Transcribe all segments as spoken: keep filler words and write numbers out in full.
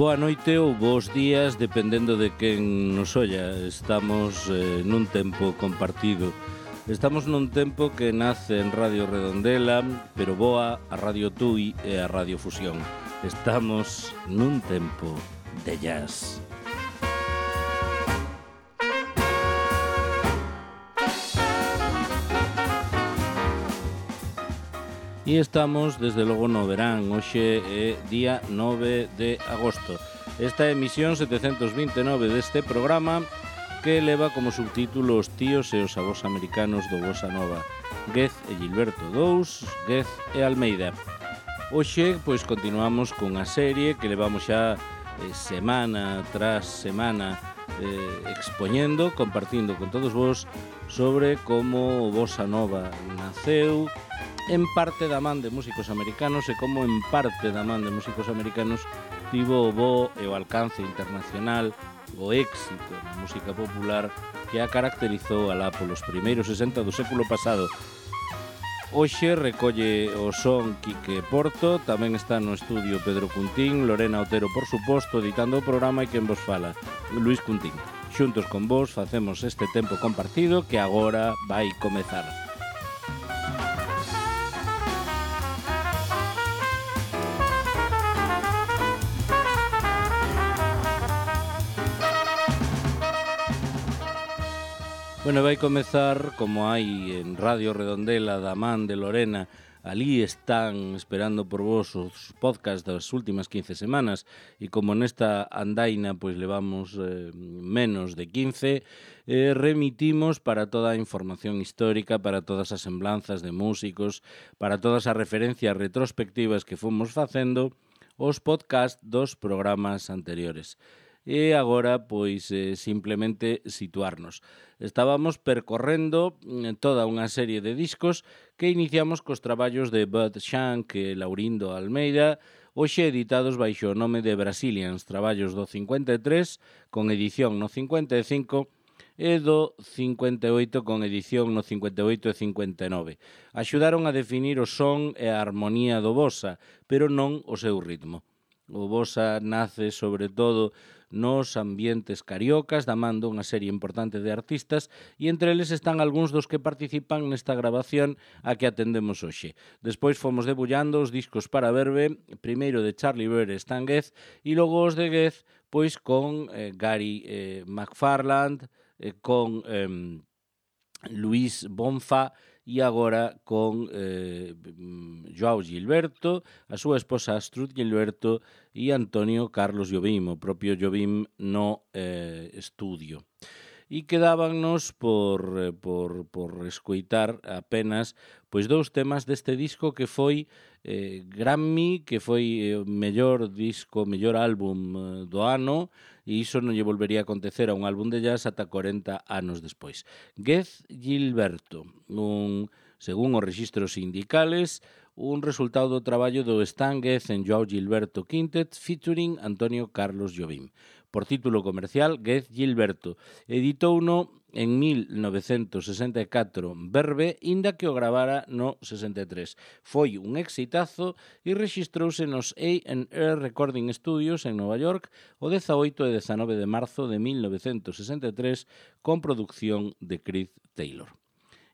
Boa noite ou bons días, dependendo de quen nos olla. Estamos eh, nun tempo compartido. Estamos nun tempo que nace en Radio Redondela, pero boa a Radio Tui e a Radio Fusión. Estamos nun tempo de jazz. E estamos, desde logo, no verán. Hoxe é día nove de agosto. Esta é a emisión setecentos vinte e nove deste programa que leva como subtítulo Os tíos e os avós americanos do Bossa Nova. Goethe e Gilberto dous, Goethe e Almeida. Hoxe, pois, continuamos cunha serie que levamos xa eh, semana tras semana eh, expoñendo, compartindo con todos vos sobre como o Bossa Nova naceu, en parte da man de músicos americanos e como en parte da man de músicos americanos tivo o bo e o alcance internacional, o éxito na música popular que a caracterizou alá polos primeiros sesenta do século pasado. Hoxe recolle o son Quique Porto, tamén está no estudio Pedro Cuntín, Lorena Otero, por suposto, editando o programa e quen vos fala, Luis Cuntín. Xuntos con vos facemos este tempo compartido que agora vai comezar. Bueno, vai comezar, como hai en Radio Redondela, da man de Lorena. Ali están esperando por vos os podcast das últimas quince semanas e como nesta andaina pois levamos eh, menos de quince, eh, remitimos para toda a información histórica, para todas as semblanzas de músicos, para todas as referencias retrospectivas que fomos facendo os podcast dos programas anteriores. E agora, pois, eh, simplemente situarnos. Estábamos percorrendo toda unha serie de discos que iniciamos cos traballos de Bud Shank e Laurindo Almeida, hoxe editados baixo o nome de Brazilians, traballos do cincuenta e tres, con edición no cincuenta e cinco, e do cincuenta e oito con edición no cincuenta e oito e cincuenta e nove. Axudaron a definir o son e a armonía do bossa, pero non o seu ritmo. O bossa nace, sobre todo, nos ambientes cariocas, da man dunha serie importante de artistas, e entre eles están algúns dos que participan nesta grabación a que atendemos hoxe. Despois fomos debullando os discos para verbe, primeiro de Charlie Bird e Stan Getz, e logo os de Getz, pois con eh, Gary eh, McFarland, eh, con eh, Luis Bonfa, e agora con eh, Joao Gilberto, a súa esposa Astrud Gilberto e Antonio Carlos Jobim, o propio Jobim no eh, estudio. E quedábanos por, por, por escoitar apenas pois dous temas deste disco que foi eh, Grammy, que foi o mellor disco, mellor álbum eh, do ano, e iso non lle volvería a acontecer a un álbum de jazz ata corenta anos despois. Goethe Gilberto, un, según os registros sindicales, un resultado do traballo do Stan Getz en Joao Gilberto Quintet featuring Antonio Carlos Jobim. Por título comercial, Goethe Gilberto. Editouno en mil novecentos sesenta e catro Verbe, inda que o gravara no sesenta e tres. Foi un exitazo e rexistrouse nos A and R Recording Studios en Nova York o dezaoito e dezanove de marzo de mil novecentos sesenta e tres con produción de Keith Taylor.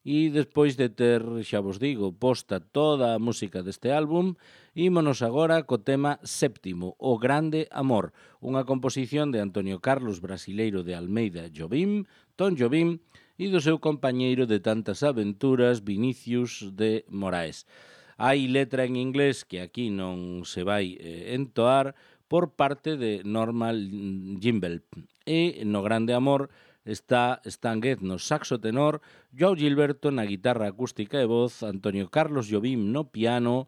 E despois de ter, xa vos digo, posta toda a música deste álbum, ímonos agora co tema séptimo, O Grande Amor, unha composición de Antonio Carlos Brasileiro de Almeida Jobim, Tom Jobim, e do seu compañeiro de tantas aventuras, Vinicius de Moraes. Hai letra en inglés que aquí non se vai eh, entoar por parte de Norman Gimbel. E no Grande Amor está Stan Getz no saxo tenor, Joao Gilberto na guitarra acústica e voz, Antonio Carlos Jobim no piano,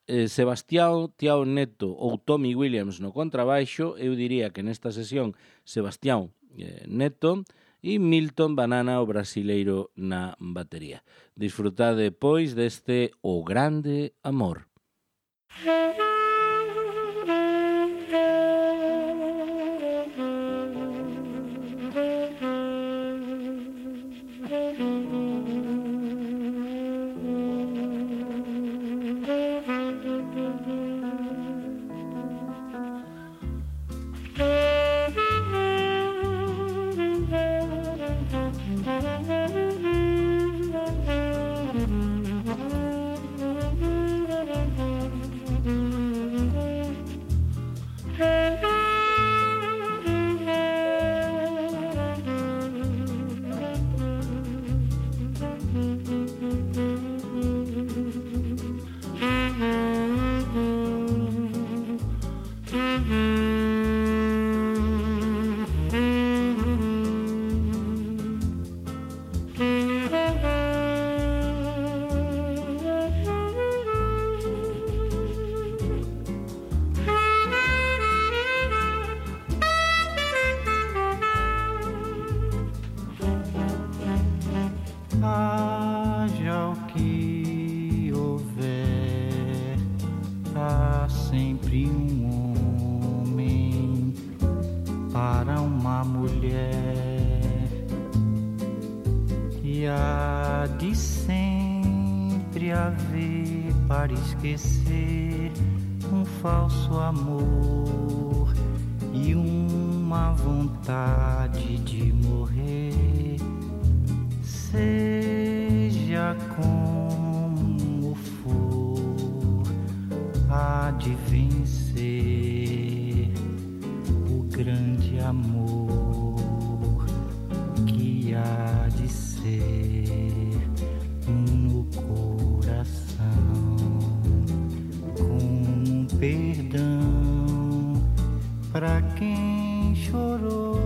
eh, Sebastião Tiao Neto ou Tommy Williams no contrabaixo, eu diría que nesta sesión Sebastião eh, Neto, e Milton Banana, o brasileiro, na batería. Disfrutade, pois, deste O Grande Amor. de um homem para uma mulher, e há de sempre haver para esquecer um falso amor e uma vontade de morrer. Seja como for, há de vencer o grande amor que há de ser no coração, com perdão para quem chorou.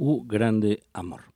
O grande amor.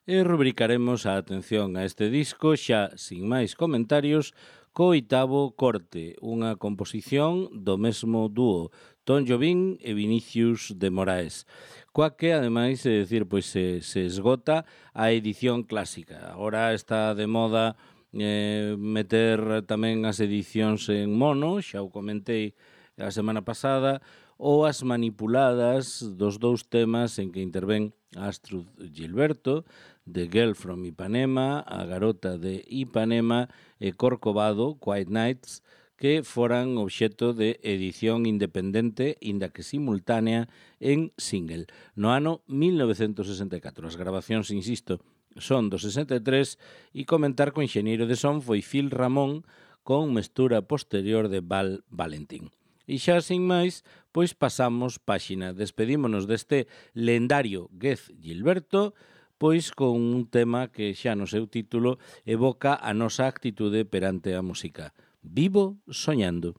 E rubricaremos a atención a este disco xa sin máis comentarios co oitavo corte, unha composición do mesmo dúo Tom Jobim e Vinicius de Moraes, coa que ademais é dicir, pois se, se esgota a edición clásica. Agora está de moda eh, meter tamén as edicións en mono, xa o comentei a semana pasada, ou as manipuladas dos dous temas en que intervén Astrud Gilberto, de Girl from Ipanema, a garota de Ipanema e Corcovado, Quiet Nights, que foran obxecto de edición independente, inda que simultánea, en single. No ano mil novecentos sesenta e catro, as grabacións, insisto, son do sesenta e tres e comentar que o enxeñeiro de son foi Phil Ramón con mestura posterior de Val Valentín. E xa sin máis, pois pasamos páxina. Despedímonos deste lendario Gez Gilberto, pois con un tema que xa no seu título evoca a nosa actitude perante a música. Vivo soñando.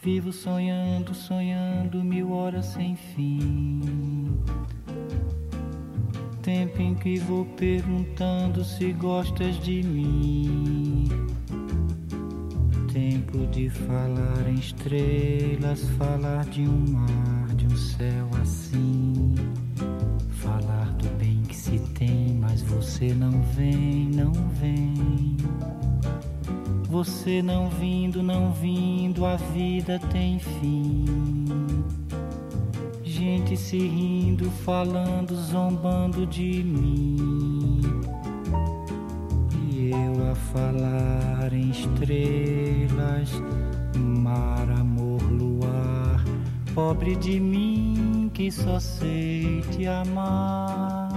Vivo sonhando, sonhando mil horas sem fim. Tempo em que vou perguntando se gostas de mim. Tempo de falar em estrelas, falar de um mar, de um céu assim. Falar do bem que se tem, mas você não vem, não vem. Você não vindo, não vindo, a vida tem fim. Gente se rindo, falando, zombando de mim. E eu a falar em estrelas, mar, amor, luar. Pobre de mim que só sei te amar.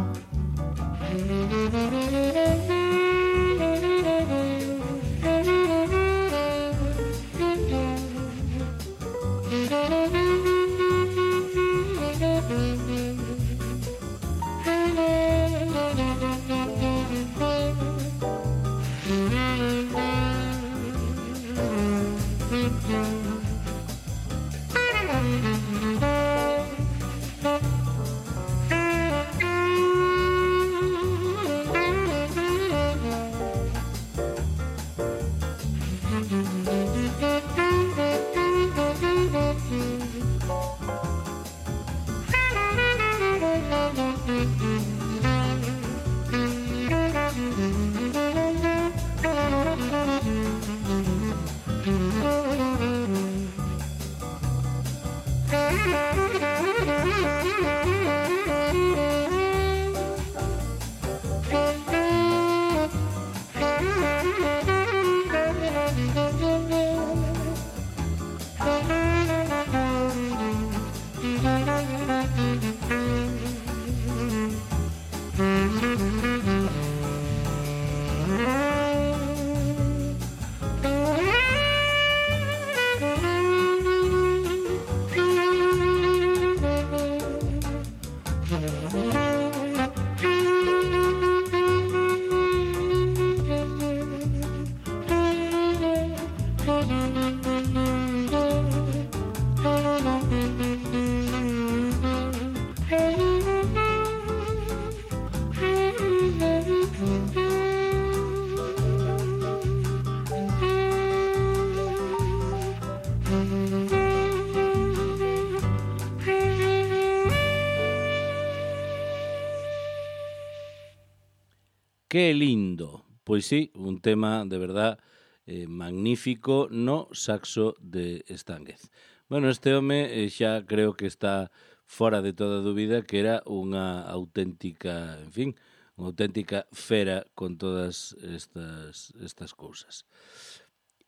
Que lindo. Pois sí, un tema de verdad eh, magnífico no saxo de Stánguez. Bueno, este home eh, xa creo que está fora de toda dúbida que era unha auténtica, en fin, unha auténtica fera con todas estas, estas cousas.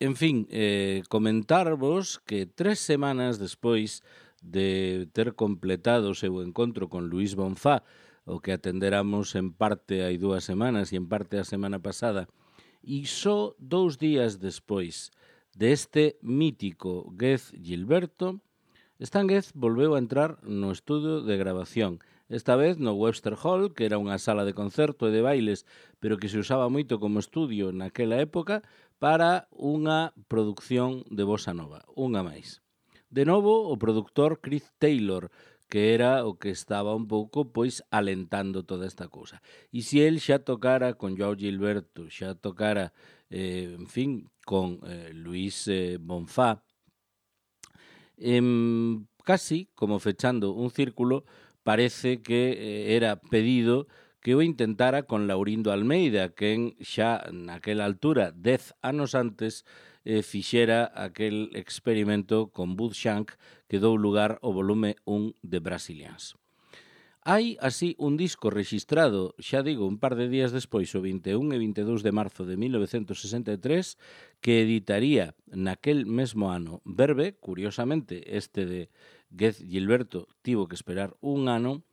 En fin, eh, comentarvos que tres semanas despois de ter completado o seu encontro con Luis Bonfá, o que atenderamos en parte hai dúas semanas e en parte a semana pasada, e só dous días despois deste mítico Gez Gilberto, Stánguez volveu a entrar no estudo de grabación, esta vez no Webster Hall, que era unha sala de concerto e de bailes, pero que se usaba moito como estudio naquela época, para unha produción de bossa nova, unha máis. De novo, o produtor Chris Taylor, que era o que estaba un pouco, pois, alentando toda esta cousa. E se el xa tocara con Joao Gilberto, xa tocara, eh, en fin, con eh, Luis eh, Bonfá, eh, casi como fechando un círculo, parece que eh, era pedido que o intentara con Laurindo Almeida, quen xa naquela altura, dez anos antes, eh, fixera aquel experimento con Bud Shank que dou lugar ao volume un de Brazilians. Hai así un disco rexistrado, xa digo, un par de días despois, o vinte e un e vinte e dous de marzo de mil novecentos sesenta e tres, que editaría naquel mesmo ano Verbe, curiosamente, este de Gez Gilberto tivo que esperar un ano,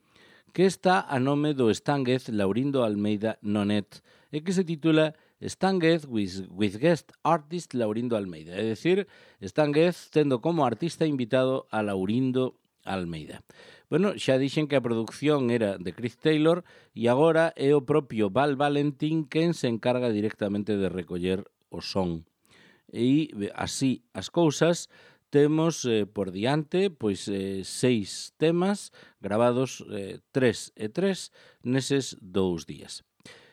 que está a nome do Estánguez Laurindo Almeida Nonet e que se titula Estánguez with, with guest artist Laurindo Almeida, é dicir, Estánguez tendo como artista invitado a Laurindo Almeida. Bueno, xa dixen que a produción era de Chris Taylor e agora é o propio Val Valentín quen se encarga directamente de recoller o son. E así as cousas, temos eh, por diante pois eh, seis temas gravados eh, tres e tres neses dous días.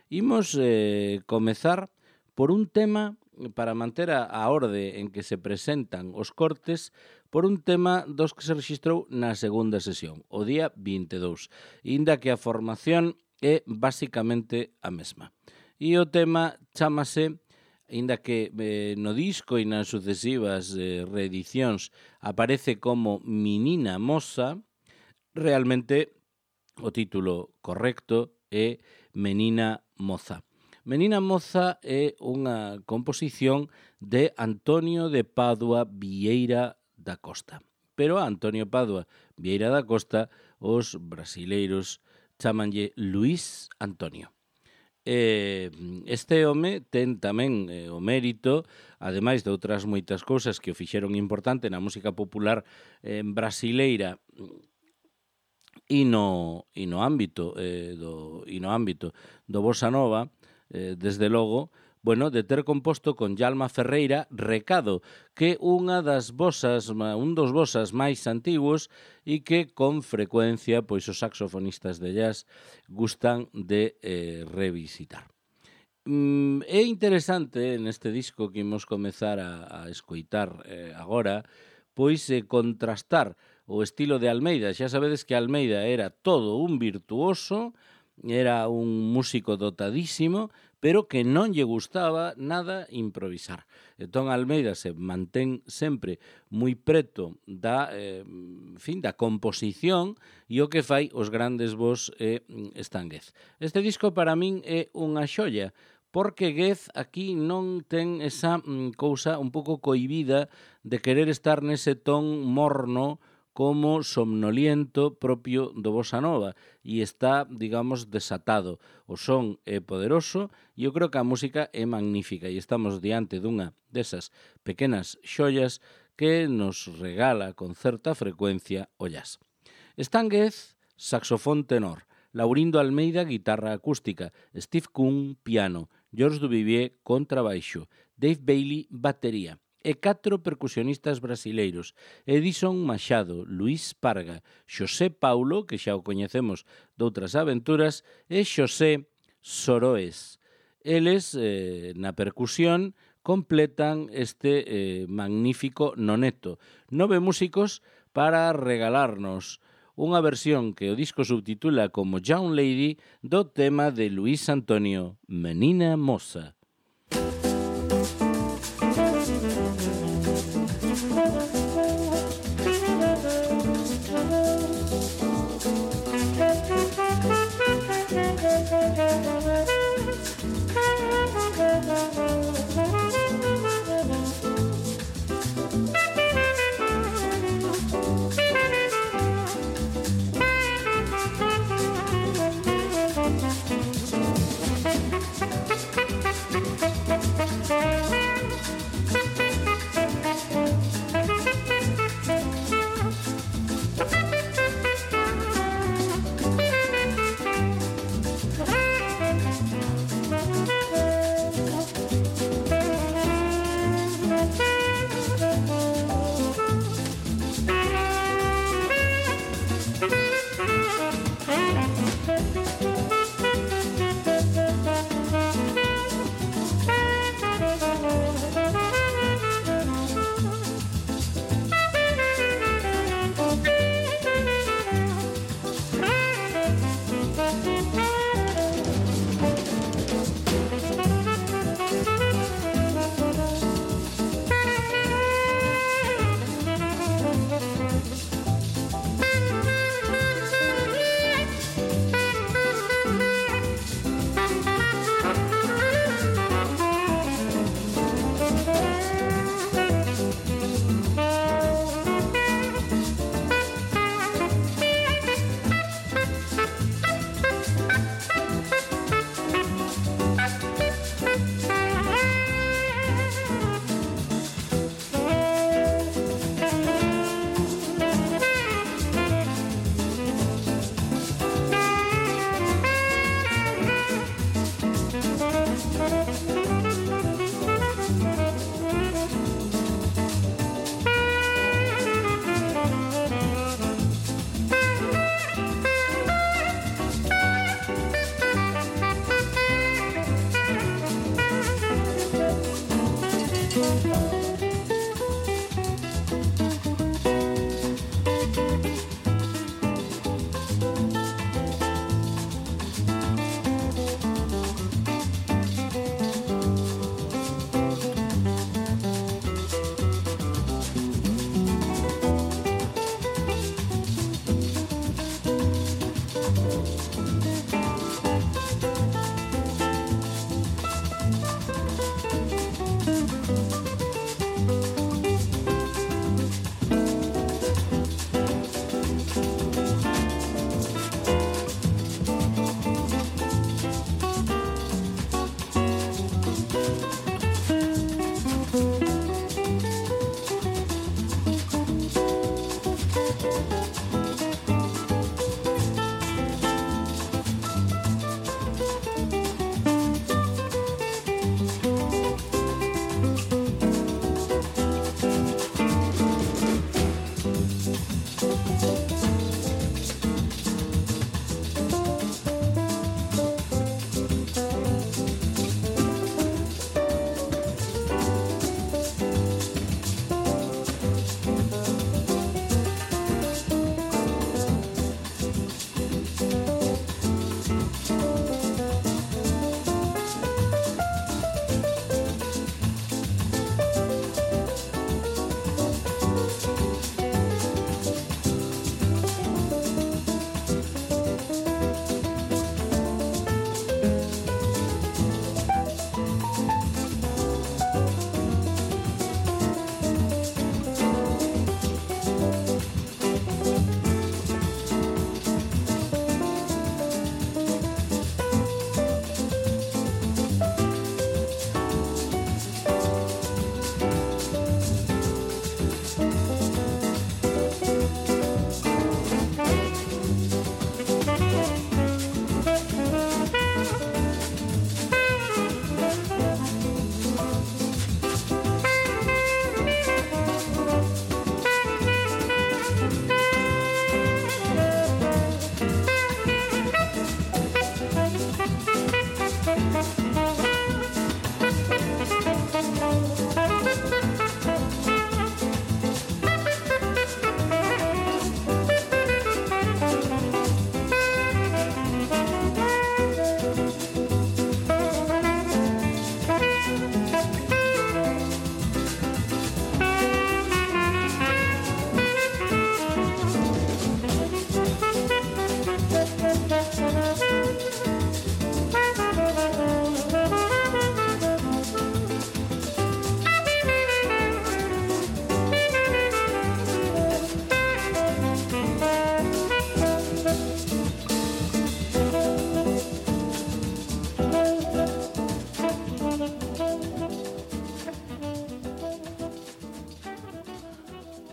Imos eh, comezar por un tema, para manter a, a orde en que se presentan os cortes, por un tema dos que se registrou na segunda sesión, o día vinte e dous, inda que a formación é basicamente a mesma. E o tema chamase, inda que eh, no disco e nas sucesivas eh, reedicións aparece como Menina Moza, realmente o título correcto é Menina Moza. Menina Moza é unha composición de Antonio de Padua Vieira da Costa. Pero a Antonio Padua Vieira da Costa os brasileiros chamanlle Luís Antonio. Este home ten tamén eh, o mérito, ademais de outras moitas cousas que o fixeron importante na música popular eh, brasileira e no, e no ámbito eh, do, e no ámbito do bossa nova, eh, desde logo, bueno, de ter composto con Yalma Ferreira Recado, que unha das bossas, un dos bossas máis antigos e que con frecuencia pois os saxofonistas de jazz gustan de eh, revisitar. Mm, é interesante neste disco que imos comezar a, a escoitar eh, agora, pois eh, contrastar o estilo de Almeida. Xa sabedes que Almeida era todo un virtuoso, era un músico dotadísimo, pero que non lle gustaba nada improvisar. Entón Almeida se mantén sempre moi preto da, eh, fin, da composición e o que fai os grandes vos é Estánguez. Este disco para min é unha xoia, porque Guez aquí non ten esa mm, cousa un pouco cohibida de querer estar nese ton morno como somnoliento propio do bossa nova e está, digamos, desatado. O son é poderoso e eu creo que a música é magnífica e estamos diante dunha desas pequenas xollas que nos regala con certa frecuencia o jazz. Estánguez, saxofón tenor, Laurindo Almeida, guitarra acústica, Steve Kuhn, piano, George Duvivier, contrabaixo, Dave Bailey, batería, e catro percusionistas brasileiros, Edison Machado, Luís Parga, Xosé Paulo, que xa o coñecemos doutras aventuras, e Xosé Soroes. Eles, eh, na percusión, completan este eh, magnífico noneto. Nove músicos para regalarnos unha versión que o disco subtitula como Young Lady do tema de Luís Antonio, Menina Moza.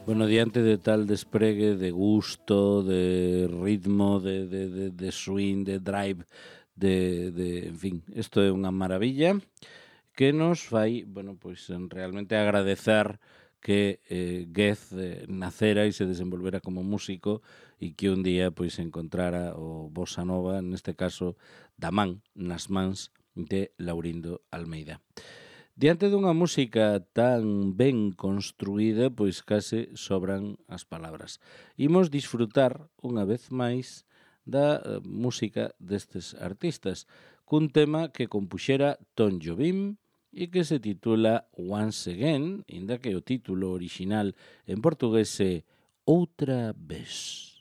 Bueno, diante de tal despregue de gusto, de ritmo, de, de, de, de swing, de drive, de, de, en fin, isto é unha maravilla que nos fai, bueno, pois realmente agradecer que eh, Goethe eh, nacera e se desenvolvera como músico e que un día pois encontrara o bossa nova, neste caso da man, nas mans de Laurindo Almeida. Diante dunha música tan ben construída, pois case sobran as palabras. Imos disfrutar unha vez máis da uh, música destes artistas, cun tema que compuxera Tom Jobim e que se titula Once Again, inda que o título orixinal en portugués é Outra Vez.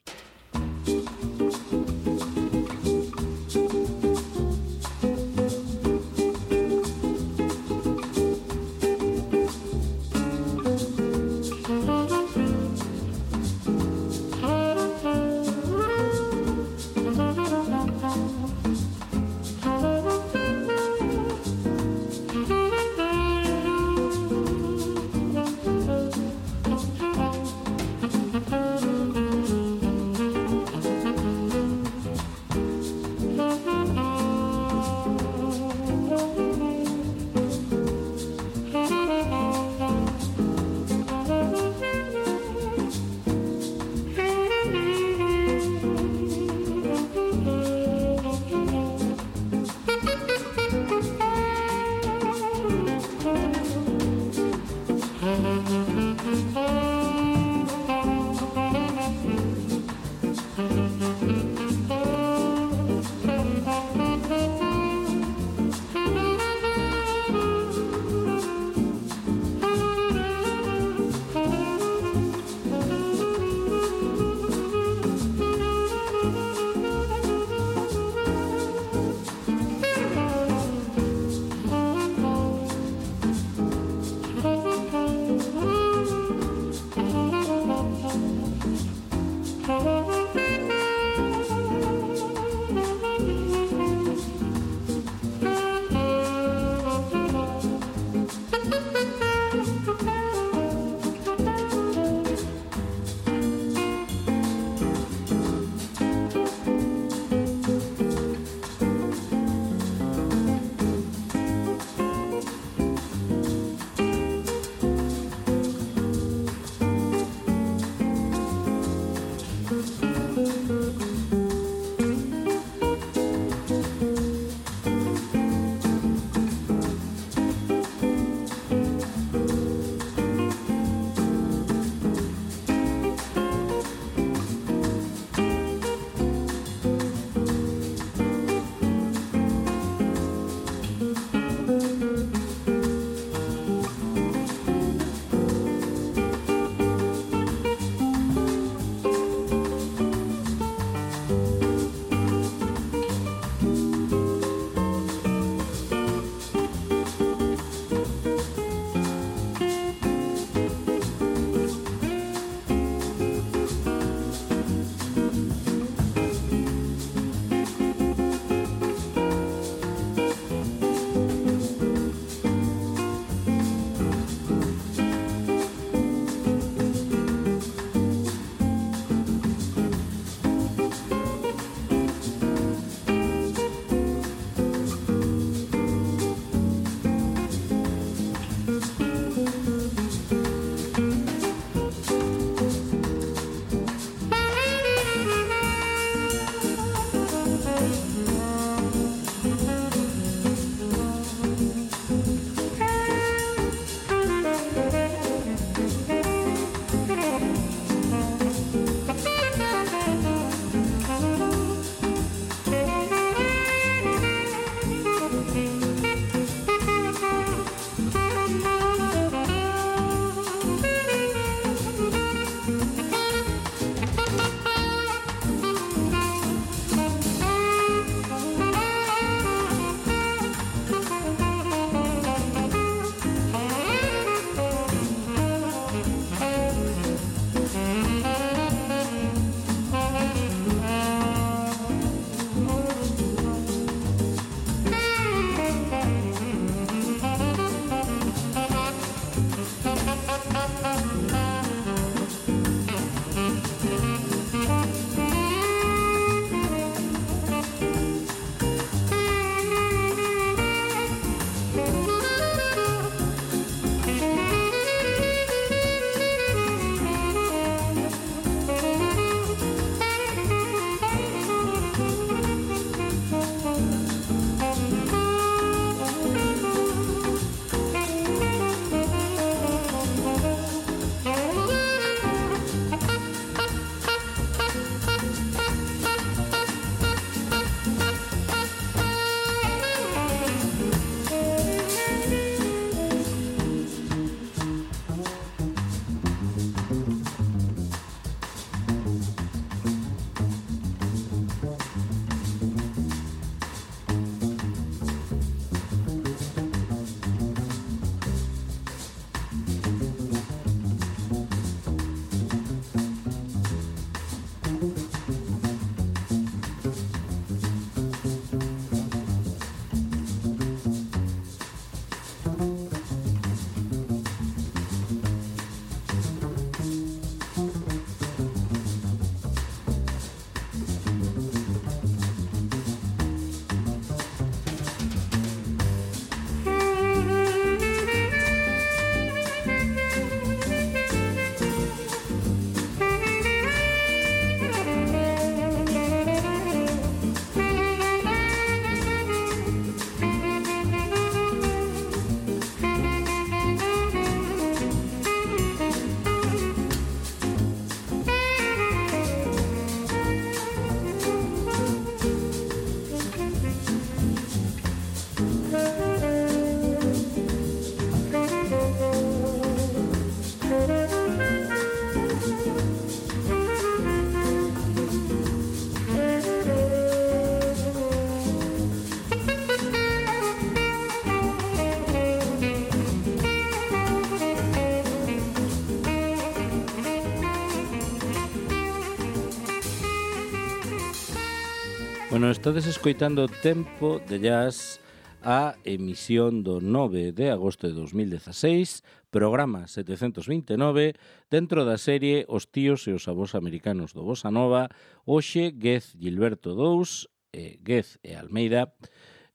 Bueno, estades escoitando Tempo de Jazz, a emisión do nove de agosto de dos mil dezaseis, programa setecentos vinte e nove, dentro da serie Os tíos e os avós americanos do Bossa Nova, hoxe Gez Gilberto dous, eh, Gez e Almeida,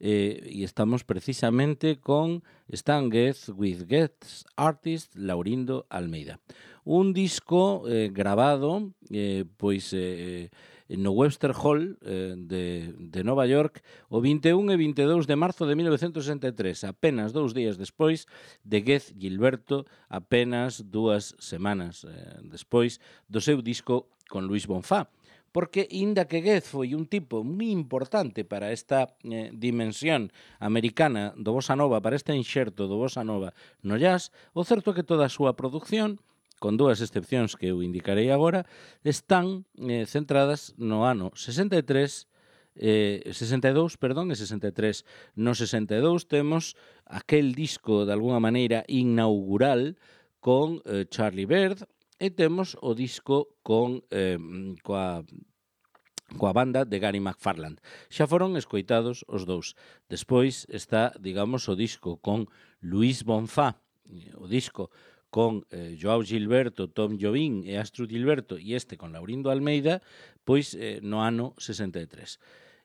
eh, e estamos precisamente con Stan Getz with Getz Artist Laurindo Almeida. Un disco eh, grabado, eh, pois... Eh, no Webster Hall eh, de, de Nova York o vinte e un e vinte e dous de marzo de mil novecentos sesenta e tres, apenas dous días despois de Gez Gilberto, apenas dúas semanas eh, despois do seu disco con Luis Bonfá. Porque, inda que Gez foi un tipo moi importante para esta eh, dimensión americana do Bossa Nova, para este enxerto do Bossa Nova no jazz, o certo é que toda a súa produción, con dúas excepcións que eu indicarei agora, están eh, centradas no ano sesenta e tres, eh, sesenta e dous, perdón, e sesenta e tres. No sesenta e dous temos aquel disco, de alguna maneira, inaugural con eh, Charlie Bird, e temos o disco con eh, coa coa banda de Gary McFarland. Xa foron escoitados os dous. Despois está, digamos, o disco con Luis Bonfá, o disco con eh, Joao Gilberto, Tom Jobim e Astrid Gilberto, e este con Laurindo Almeida, pois eh, no ano sesenta e tres.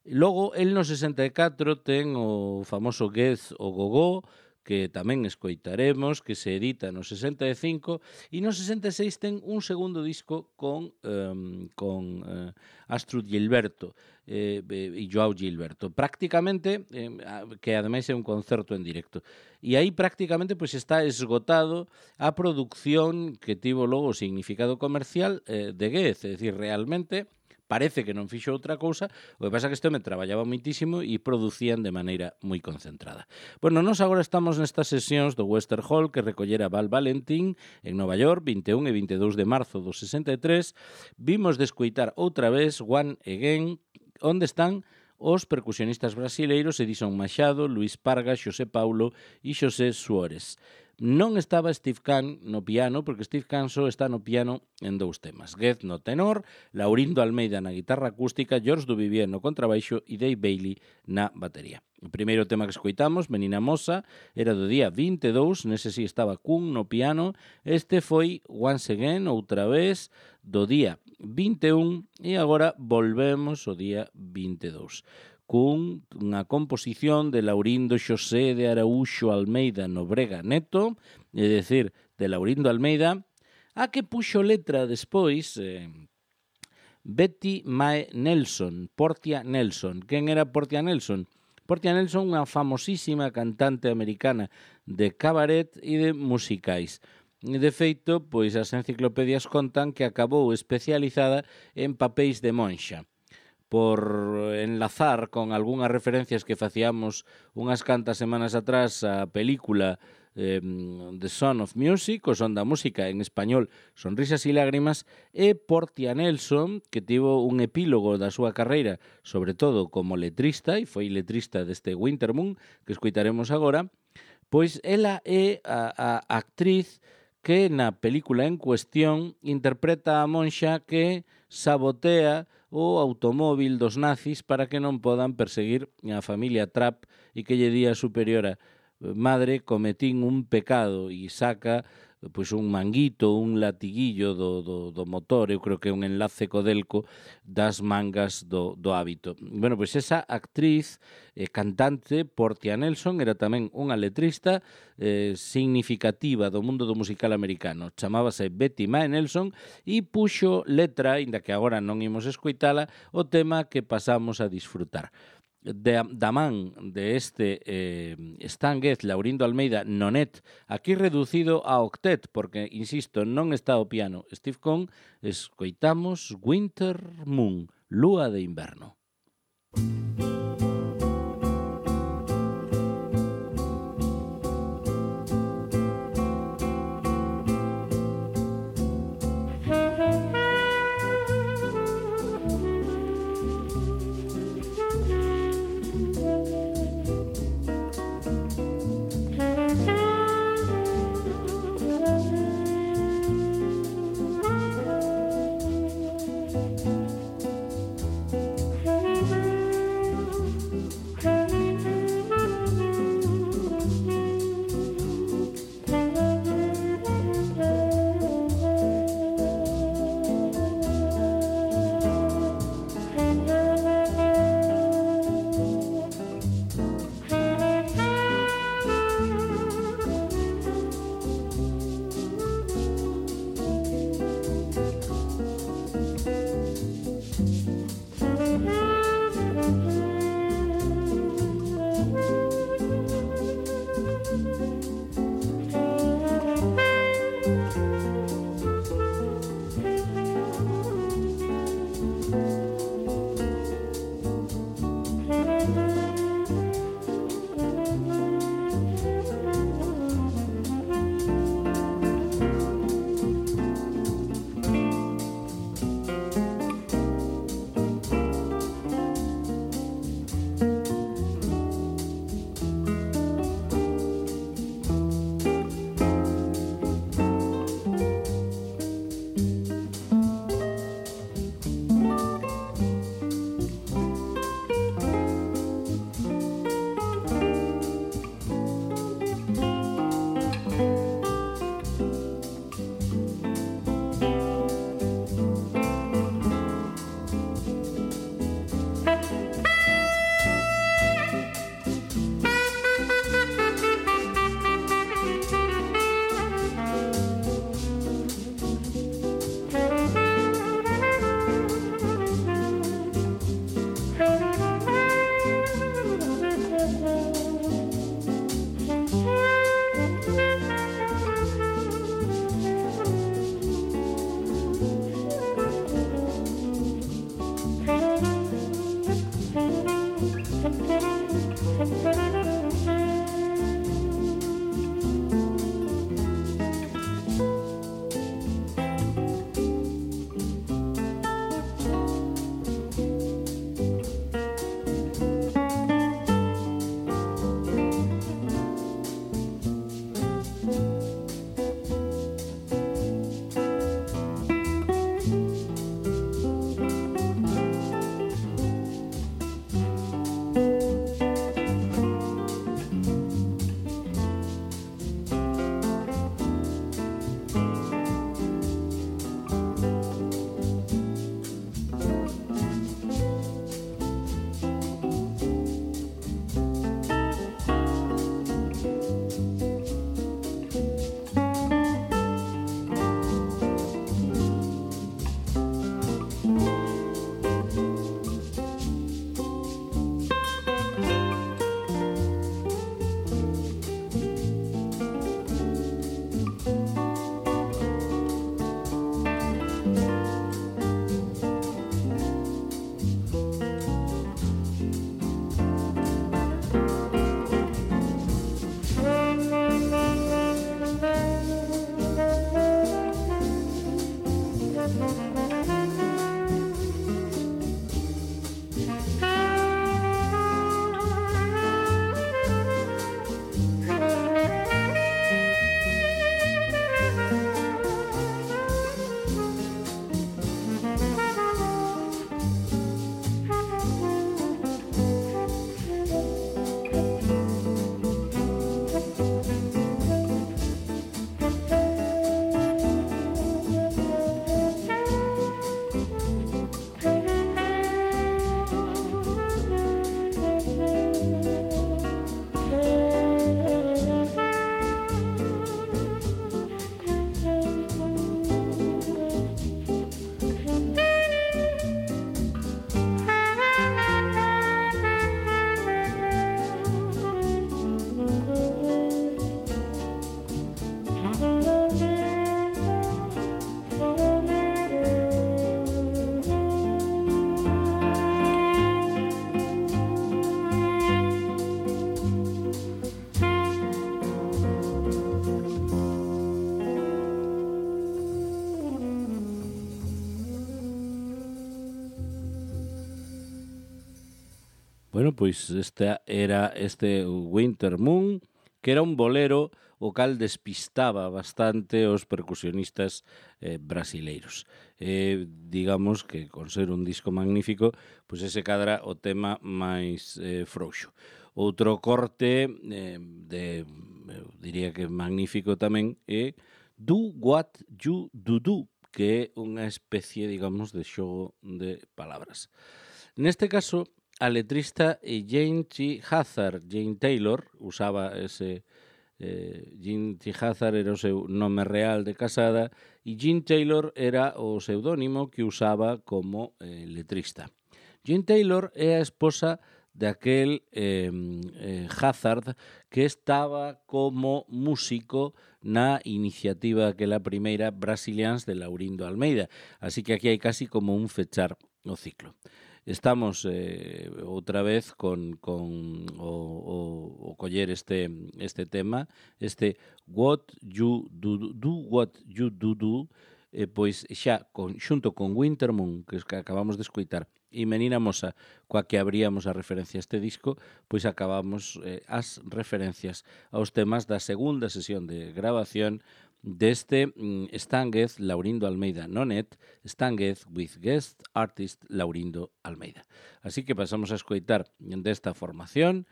Logo, el no sesenta e catro ten o famoso Gez o Gogó, que tamén escoitaremos, que se edita no sesenta e cinco, e no sesenta e seis ten un segundo disco con, um, con uh, Astrid Gilberto eh, e Joao Gilberto. Prácticamente, eh, que ademais é un concerto en directo. E aí prácticamente pois, está esgotado a produción que tivo logo o significado comercial eh, de Gez, é dicir, realmente parece que non fixo outra cousa, o que pasa que este me traballaba moitísimo e producían de maneira moi concentrada. Bueno, nós agora estamos nestas sesións do Webster Hall que recollera Val Valentín en Nova York, vinte e un e vinte e dous de marzo do sesenta e tres. Vimos de escoitar outra vez One Again, onde están os percusionistas brasileiros Edison Machado, Luis Parga, Xosé Paulo e Xosé Suárez. Non estaba Steve Kahn no piano, porque Steve Kahn só está no piano en dous temas. Gez no tenor, Laurindo Almeida na guitarra acústica, George Duvivier no contrabaixo e Dave Bailey na batería. O primeiro tema que escoitamos, Menina Mosa, era do día vinte e dous, nese si estaba Kuhn no piano. Este foi Once Again, outra vez, do día vinte e un, e agora volvemos ao día vinte e dous. Cun unha composición de Laurindo Xosé de Araúxo Almeida Nobrega Neto, é dicir, de Laurindo Almeida, a que puxo letra despois eh, Betty Mae Nelson, Portia Nelson. Quen era Portia Nelson? Portia Nelson, unha famosísima cantante americana de cabaret e de musicais. De feito, pois as enciclopedias contan que acabou especializada en papéis de monxa. Por enlazar con algunhas referencias que facíamos unhas cantas semanas atrás a película eh, The Sound of Music, o Son da Música, en español Sonrisas e Lágrimas, e Portia Nelson, que tivo un epílogo da súa carreira, sobre todo como letrista, e foi letrista deste Winter Moon, que escoitaremos agora, pois ela é a, a actriz que na película en cuestión interpreta a monxa que sabotea o automóvil dos nazis para que non podan perseguir a familia Trapp e que lle di a superiora: madre, cometín un pecado, e saca pois un manguito, un latiguillo do, do, do motor, eu creo que é un enlace codelco das mangas do, do hábito. Bueno, pois esa actriz eh, cantante, Portia Nelson, era tamén unha letrista eh, significativa do mundo do musical americano. Chamábase Betty Mae Nelson e puxo letra, inda que agora non imos escoitala, o tema que pasamos a disfrutar. De, da man de este eh, Stan Getz, Laurindo Almeida, nonet, aquí reducido a octet, porque, insisto, non está o piano Steve Kahn, escoitamos Winter Moon, Lúa de Inverno. Bueno, pois este era este Winter Moon, que era un bolero o cal despistaba bastante os percusionistas eh, brasileiros. Eh, digamos que con ser un disco magnífico, pois ese cadra o tema máis eh, frouxo. Outro corte eh, de, eu diría que magnífico tamén é Do What You Do Do, que é unha especie, digamos, de xogo de palabras. Neste caso, a letrista é Jane T. Hazard. Jane Taylor usaba ese... Eh, Jane T. Hazard era o seu nome real de casada e Jane Taylor era o pseudónimo que usaba como eh, letrista. Jane Taylor é a esposa de aquel eh, eh, Hazard que estaba como músico na iniciativa aquela primeira Brasilians de Laurindo Almeida. Así que aquí hai casi como un fechar o ciclo. Estamos eh, outra vez con, con o, o, o coller este, este tema, este What You Do, Do What You Do Do, eh, pois xa con, xunto con Winter Moon, que, que acabamos de escoitar, e Menina Mosa, coa que abríamos a referencia a este disco, pois acabamos eh, as referencias aos temas da segunda sesión de grabación deste mm, Stanguez Laurindo Almeida Nonet, Stanguez with guest artist Laurindo Almeida. Así que pasamos a escoitar desta formación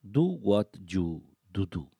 Do What You Do Do.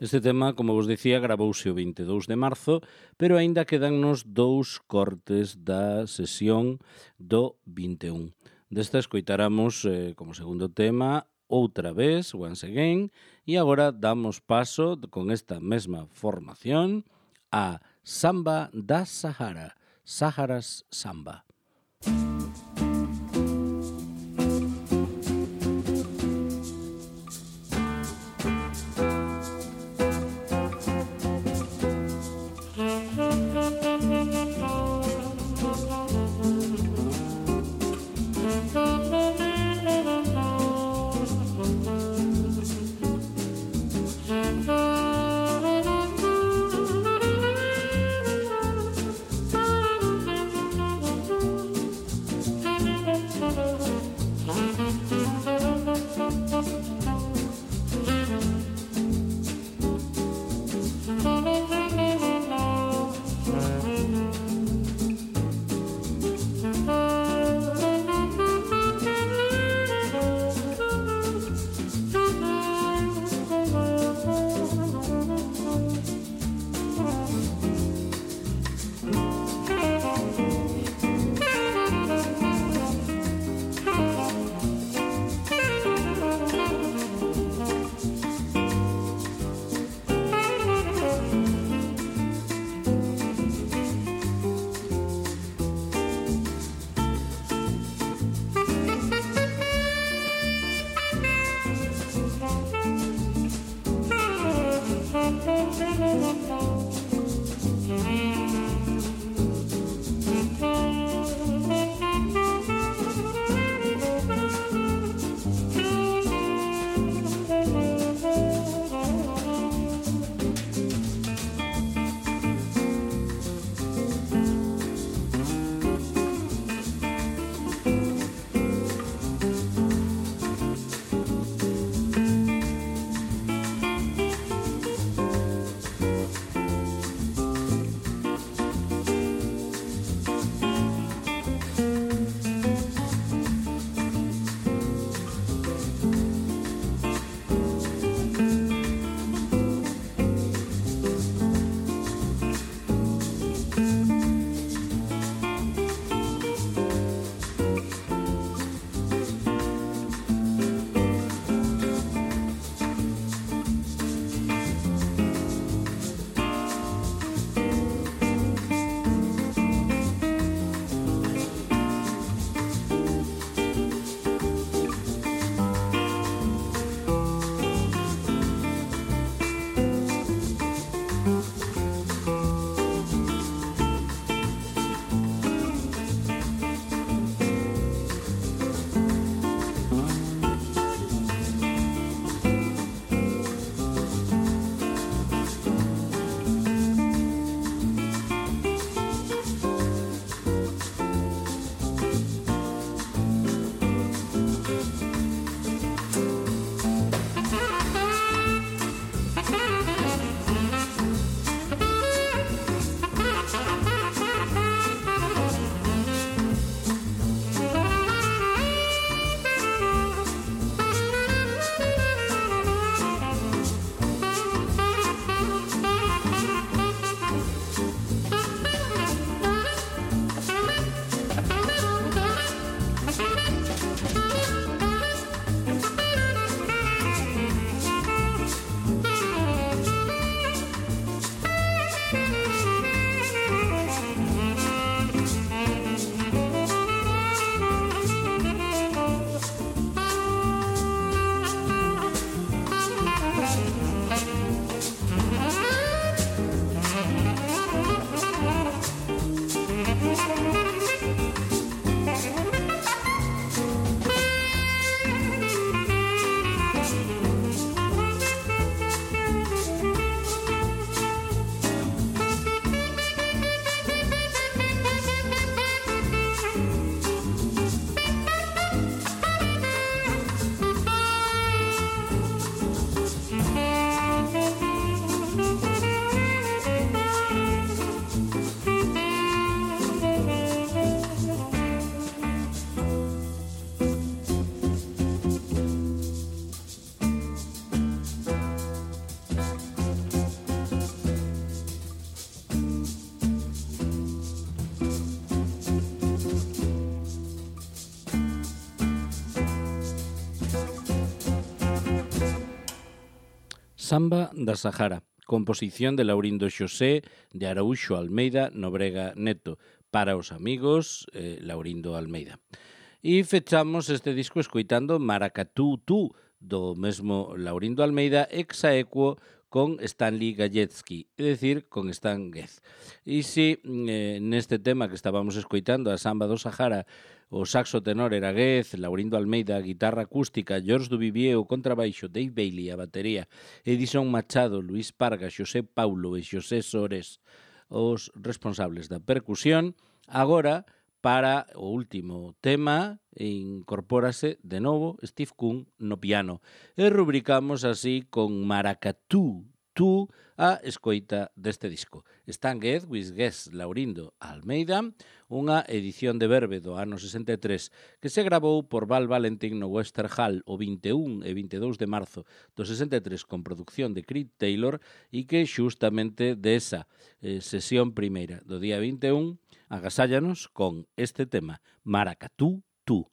Este tema, como vos dicía, gravouse o vinte e dous de marzo, pero aínda quedannos dous cortes da sesión do vinte e un. Desta escoitaramos eh, como segundo tema outra vez, Once Again, e agora damos paso con esta mesma formación a Samba da Sahara, Saharas Samba. Samba da Sahara, composición de Laurindo Xosé de Araúxo Almeida Nobrega Neto, para os amigos eh, Laurindo Almeida. E fechamos este disco escoitando Maracatú Tú, do mesmo Laurindo Almeida, ex aequo con Stanley Galletsky, é dicir, con Stan Getz. E si eh, neste tema que estábamos escoitando, a Samba do Sahara, o saxo tenor era Getz, Laurindo Almeida, a guitarra acústica, George Duvivier, o contrabaixo, Dave Bailey, a batería, Edison Machado, Luis Parga, Xosé Paulo e Xosé Sores, os responsables da percusión. Agora, para o último tema, incorpórase de novo Steve Kuhn no piano. E rubricamos así con Maracatú Tú a escoita deste disco. Stan Getz, with Getz, Laurindo Almeida, unha edición de Verve do ano sesenta e tres que se gravou por Val Valentín no Western Hall o vinte e un e vinte e dous de marzo do sesenta e tres con producción de Creed Taylor e que xustamente desa eh, sesión primeira do día vinte e un agasállanos con este tema, Maracatú Tú.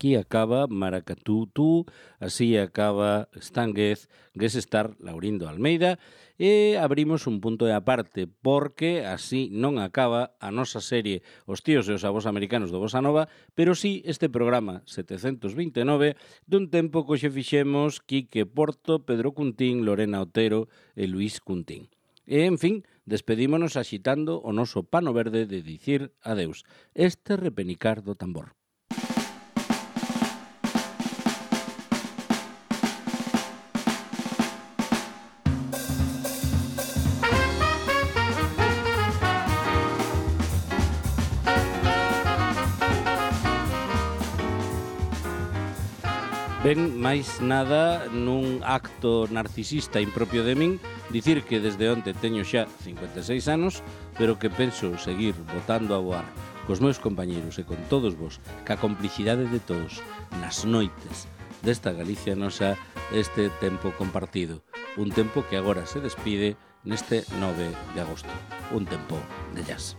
Aquí acaba Maracatú tú, así acaba Stanguez, Guesestar Laurindo Almeida, e abrimos un punto de aparte, porque así non acaba a nosa serie Os tíos e os avós americanos do Bossa Nova, pero sí este programa setecentos vinte e nove dun tempo que xe fixemos Quique Porto, Pedro Cuntín, Lorena Otero e Luís Cuntín. E, en fin, despedímonos axitando o noso pano verde de dicir adeus. Este repenicar do tambor. Ben, máis nada, nun acto narcisista impropio de min, dicir que desde onte teño xa cincuenta e seis anos, pero que penso seguir botando a voar cos meus compañeros e con todos vos, ca complicidade de todos, nas noites desta Galicia nosa, este tempo compartido. Un tempo que agora se despide neste nove de agosto. Un tempo de jazz.